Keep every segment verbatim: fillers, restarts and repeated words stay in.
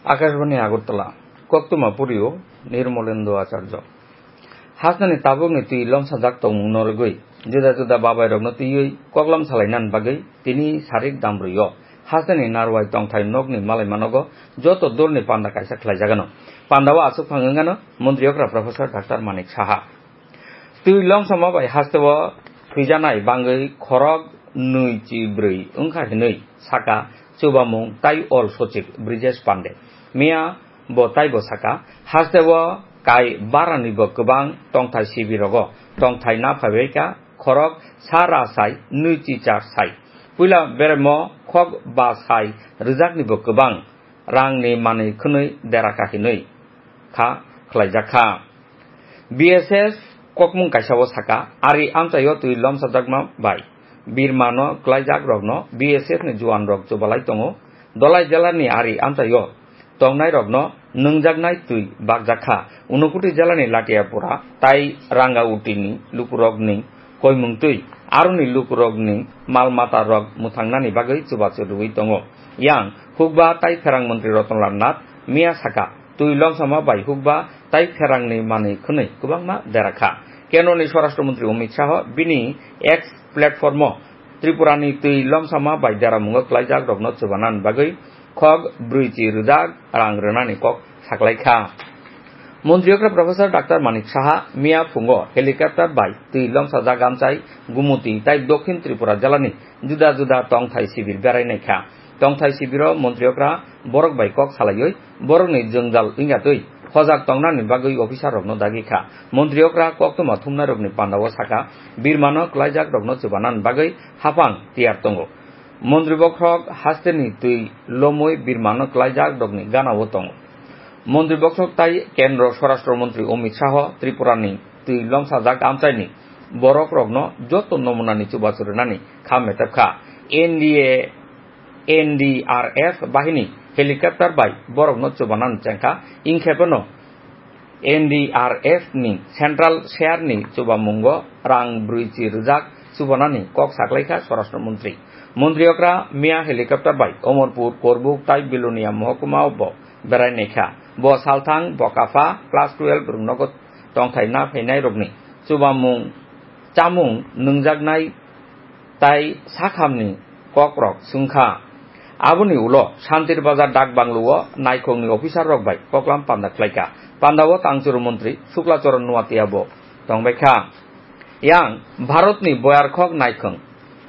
Akashbani Agartala, koktwma purio Nirmolendo Acharya. Hasteni tabukni twi lomsajak tongmung norogwi juda juda babairokno twiwi koklam salainani bagwi tini sarik dambrwi-o hasteni Narwai tongthai nokni malaimanogo joto dolni panda kaisa khlaijagano. Pandao aswk phang wngano montri okra Professor Doctor Manik Saha. Twi lomsama bai hasteo thwijanai bangwi khorok nwi chi brwi wngkha hinwi saka chubamung tai ol sochik Brijesh Pande. Miya bo taibo saka, hasteo kai barani bo kwbang tongthai sibirogo tongthai na phaibaikha khorok sa ra sai nwi chi char sai. Puila beremo khok ba sai rwjakni bo kwbang rangni manwi khwnwi deraka hinwi kha khlaijak kha. B S F kokmung kaisa o saka, ari amchaio twi lomsajakma bai birmano klaijak rokno B S F ni juan rok chubalai tongo. Dolai jela ni ari amchaio tongnai rokno nwngjaknai twi bakjak kha. Unakoti jela ni Latiapura tai Rangauti ni lukurok ni koimung twi aroni lukurok ni mal mata rok mwthangnani bagwi chubachu rwui tongo. Yang hukba tai pherang montri Ratan Lal Nath miya saka, twi lomsama bai hukba tai pherangni manwi khwnwi kwbangma dera kha. Kendroni Swarashtra Montri Amit Shah bini X platformo Tripurani twi lomsama bai deramungo klaijak rokno chubanani bagwi khok brwi chi rwjak rang rwnani kok saklai kha. Montri okra Professor Doctor Manik Saha miya phungo helicopter bai twi lomsajak amchai Gumuti tai Dokhin Tripura jelani juda juda tongthai sibir berai naikha. Tongthai sibiro montri okra borok bai kok salaiwi borokni jwngjal wngya twi hojak tongnani bagwi officer rokno dagi kha. Montri okra koktwma thumnairokni pandao saka, birmano klaijak rokno chubanani bagwi haphang tiyar tongo. Montri bokhorok hasteni twi lomwi birmano klaijak rokni ganao tongo. Montri bokhorok tai Kendro Swarashtra Montri Amit Shah Tripurani twi lomsajak amchaini borok rokno joto nomunani chubachu rwnani kha metep kha. N D A, N D R F bahini helicopter bai borokno chubanani chengkha, ingkhepeno N D R F ni central share ni chubamungo rang brwi chi rwjak chubanani kok saklaikha Swarashtra Montri. Montri okra miya helicopter bai Omorpur, Korbuk tai Bilonia mohokuma bo berai naikha. Bo salthang Bokapha class twelve rwngnogo tongthai na phainairokni chubamung chamung nwngjaknai tai sakhamni kokrok swngkha. Aboni ulo Shantir Bazar Dak Banglo-o naikhongni officer rok bai koklam panda khlaikha. Pandao tangchuru montri Shukla Charan Noatia bo tongbaikha. Yang Bharatni boyarkhok naikhong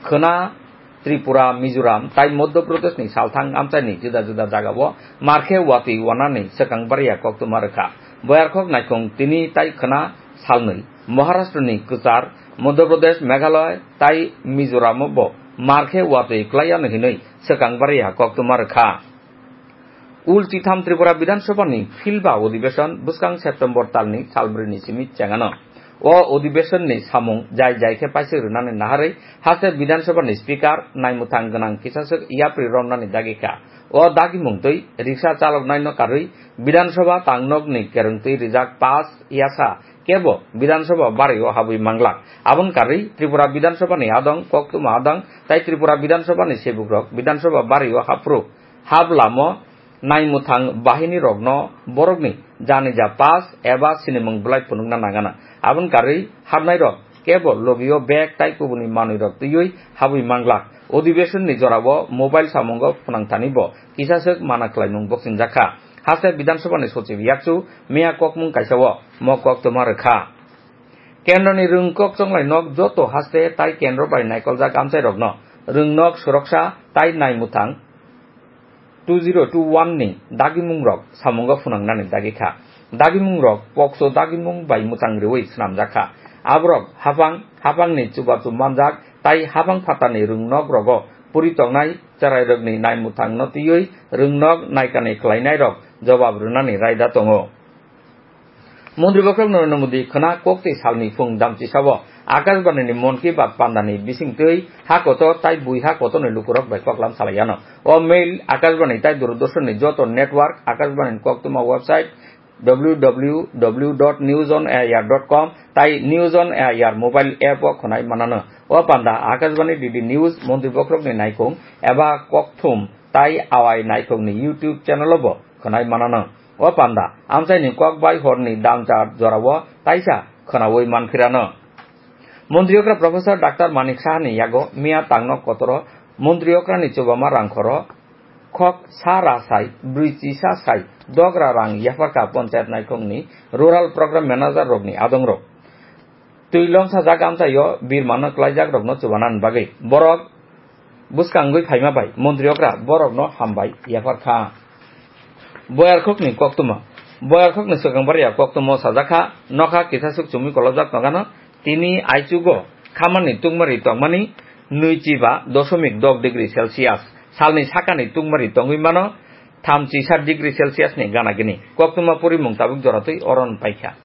khwna Tripura, Mizoram tai Madhya Pradeshni salthang amchaini juda juda jagao markhe watwi wanani swkang bariya koktwma rwkha. Boyarkhok naikhong tini tai khwna salnwi Maharashtrani kwchar, Madhya Pradesh, Meghalaya tai Mizoramo bo markhe watwi klaiya hinwi swkang bariya koktwma rwkha. Ul chitham Tripura Bidhan Sabha ni philba odibeshon bwskang September talni salbrwi ni simi chengano. O odibeshon ni samung jai jai khe paisik rwnani naharwi haste Bidhan Sabha ni speaker naimwthang gwnang kisaswk yapri romnani dagi kha. O dagimung twi riksa chaloknaino karwi Bidhan Sabha tangnokni kerwng twi rijak pass yasa kebo Bidhan Sabha bario habwi manglak. Aboni karwi Tripura Bidhan Sabha ni adong, koktwma adong tai Tripura Bidhan Sabha ni sebukrok Bidhan Sabha bario haphru hap lamo naimwthang bahini rokno borokni janija pass eba sinimung bwlai phunukna nangana. Aboni karwi hapnairok kebo logio bag tai kubuni manwirok twiwi habwi manglak. Odibeshon ni jorao mobile samungo phunangthani bo kisaswk mana khlaimung boksingjak kha. Haste Bidhan Sabha ni sochib yakchu miya kokmung kaisa o mo koktwma rwkha. Kendroni rwngkok chonglai nok joto haste tai kendro bai naikoljak amchairokno rwngnok suroksa tai naimwthang two zero two one ni dagimungrok samungo phunangnani dagi kha. Dagimungrok pokso dagimung bai mwchang rwui swnamjak kha. Aborok haphang, haphangni chubachu manjak tai haphang phatarni rwngnok rogo puri tongnai cherairokni naimwthangno twiwi rwngnok naikani khlainairok jobab rwnani raida tongo. Montri bokhorok Narendra Modi khwna koktwi salni phung damchisao Akashbani ni Mon Ki Baat pandani bisingtwi ha kotor tai bui ha kotorni lukurok bai koklam salaiano. O mail Akashbani tai Doordarshan ni joto network, Akashbani ni koktwma website W W W dot news on air dot com tai News on Air mobile app o khwnai manano. O panda Akashbani D D News Montri bokhorokni naikhung eba kokthum tai awai naikhungni YouTube channel o bo khwnai manano. O panda amchaini kok bai horni damchar jorao taisa khwnaui manphirano. Montri okra Professor Doctor Manik Sahani yago miya tangno kotoro montri okrani chubama rangkhoro khok sa ra sai, brwi chisa sai, dogra rang yapharkha panchayat naikhungni rural program manager rokni adongrok. Twi lomsajak amchaio birmano kwlaijak rokno chubanani bagwi borok bwskangwi phaima bai montri okra borokno hambai yapharkha. Boyarkhokni koktwma. Boyarkhokni swkang barya koktwmao sajakha, nokha kisasuk chumui kolobjak nokano, tini aichugo khamani tungmari tongmani nwi chiba dosomik dok degree Celsius, salni sakani tungmari tongwi mano thamchi sat degree Celsius ni gana gini. Koktwma porimung tabuk joratwi oron paikha.